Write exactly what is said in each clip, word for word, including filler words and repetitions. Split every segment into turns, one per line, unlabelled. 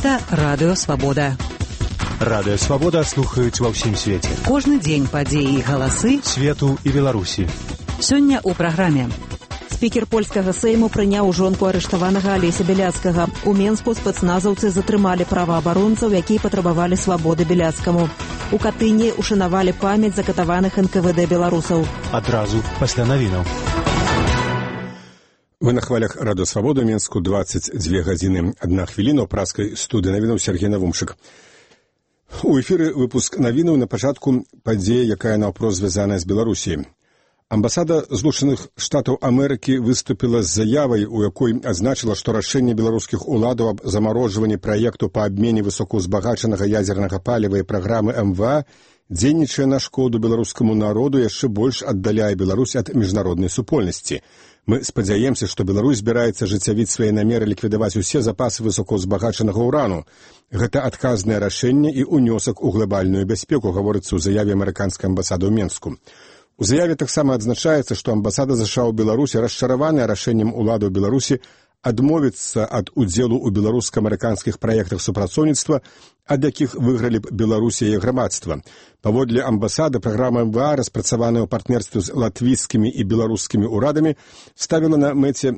Гэта Радыё Свабода.
Радыё Свабода слухаюць ва ўсім свеце.
Кожны дзень падзеі і галасы
свету і Беларусі.
Сёння ў праграме.
Спікер польскага сейму прыняў жонку арыштаванага Алеся Бяляцкага. У Менску спецназаўцы затрымалі праваабаронцаў, якія патрабавалі свабоды Бяляцкаму. У Катыні ушанавалі памяць закатаваных эн ка вэ дэ беларусаў.
Адразу пасля навінаў.
Вы на хвалях Радыё Свабода, Менску, дваццаць дзве гадзіны адна хвіліна, ў праскай студыі навінаў Сергей Навумчык. У эфіры выпуск навінаў на пачатку падзея, якая наўпрост звязаная з Беларусіяй. Амбасада Злучаных Штатаў Амерыкі выступіла з заявай, у якой адзначыла, што рашэнне беларускіх уладаў аб замарожванні праекту па абмене высокаўзбагачанага ядзернага паліва і праграмы эм вэ а дзейнічае на шкоду беларускаму народу, яшчэ больш аддаляе Беларусь ад міжнароднай супольнасці. Мы спадзяемся, што Беларусь збіраецца ажыццявіць свае намеры ліквідаваць усе запасы высокаўзбагачанага ўрану. Гэта адказнае рашэнне і ўнёсак у глобальную бяспеку, гаворыцца ў заяве амерыканскай амбасады ў Менску. У заяве таксама адзначаецца, што амбасада США ў Беларусі расчараваная рашэннем уладаў Беларусі адмовіцца ад удзелу ў беларуска-амерыканскіх праектах супрацоўніцтва, ад якіх выйгралі б Беларусь і яе грамадства. Паводле амбасады, праграма эм вэ а, распрацаваная ў партнерстве з латвійскімі і беларускімі ўрадамі, ставіла на мэце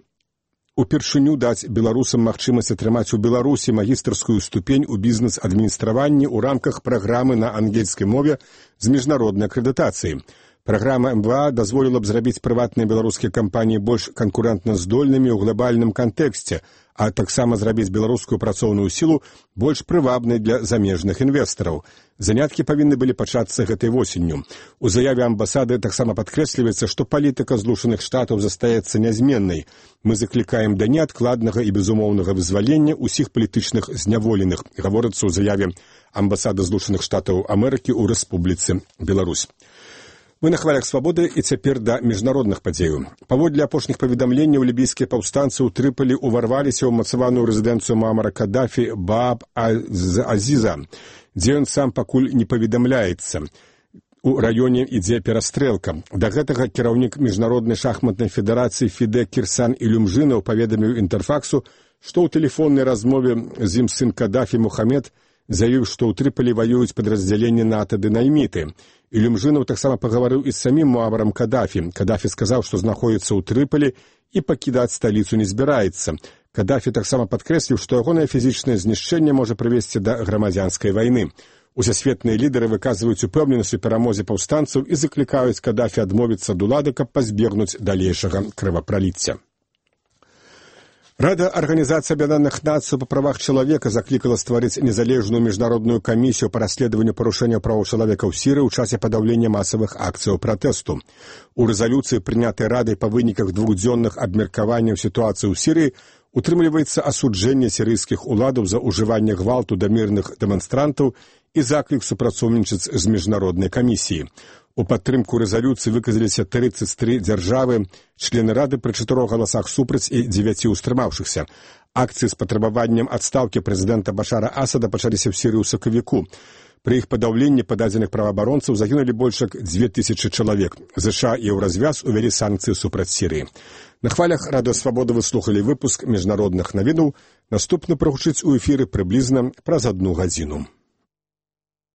упершыню даць беларусам магчымасць атрымаць у Беларусі магістарскую ступень у бізнес-адміністраванні ў рамках праграмы на ангельскай мове з міжнароднай акрэдытацыяй. Праграма эм вэ а дазволіла б зрабіць прыватныя беларускія кампаніі больш канкурэнтна здольнымі ў глобальным кантэксце, а таксама зрабіць беларускую працоўную сілу больш прывабнай для замежных інвестараў. Заняткі павінны былі пачацца гэтай восенню. У заяве амбасады таксама падкрэсліваецца, што палітыка Злучаных Штатаў застаецца нязменнай. Мы заклікаем да неадкладнага і безумоўнага вызвалення ўсіх палітычных зняволеных, гаворыцца ў заяве амбасады Злучаных Штатаў Амерыкі ў Рэспубліцы Беларусь. Мы на хвалях свабоды і цяпер да міжнародных падзеяў. Паводле апошніх паведамленняў, лібійскія паўстанцы ў Трыполі ўварваліся ў ўмацаваную рэзідэнцыю Муамара Каддафі Бааб Азіза, дзе ён сам пакуль не паведамляецца. У раёне ідзе перастрэлка. Да гэтага кіраўнік міжнароднай шахматнай федэрацыі Фіде Кірсан Ілюмжынаў паведаміў Інтэрфаксу, што ў тэлефоннай размове з ім сын Каддафі Мухамед заявіў, што ў Трыполі ваююць падраздзяленні НАТО ды найміты. Ілюмжынаў таксама пагаварыў і з самім Муамарам Каддафі. Каддафі сказаў, што знаходзіцца ў Трыполі і пакідаць сталіцу не збіраецца. Каддафі таксама падкрэсліў, што ягонае фізічнае знішчэнне можа прывесці да грамадзянскай вайны. Усесветныя лідары выказваюць упэўненасць у перамозе паўстанцаў і заклікаюць Каддафі адмовіцца ад улады, каб пазбегнуць далейшага крывапраліцця. Рада Арганізацыі Аб'яднаных Нацый па правах чалавека заклікала стварыць незалежную міжнародную камісію па расследаванню парушэння правоў чалавека ў Сірыі ў часе падаўлення масавых акцыяў пратэсту. У рэзалюцыі, прынятай Радай па выніках двухдзённых абмеркаванняў сітуацыі ў Сірыі, утрымліваецца асуджэнне сірыйскіх уладаў за ўжыванне гвалту да мірных дэманстрантаў і заклік супрацоўнічаць з міжнароднай камісіяй. У падтрымку рэзалюцыі выказаліся трыццаць тры дзяржавы, члены Рады пры чатырох галасах супраць і дзевяці ўстрымаўшыхся. Акцыі з патрабаваннем адстаўкі прэзідэнта Башара Асада пачаліся ў Сірыі ў сакавіку. Пры іх падаўленні пададзеных праваабаронцаў загінулі больш як дзве тысячы чалавек. ЗША і Еўразвяз увялі санкцыі супраць Сірыі. На хвалях Радыё Свабода вы слухалі выпуск міжнародных навінаў. Наступны прагучыць у эфіры прыблізна праз адну гадзіну.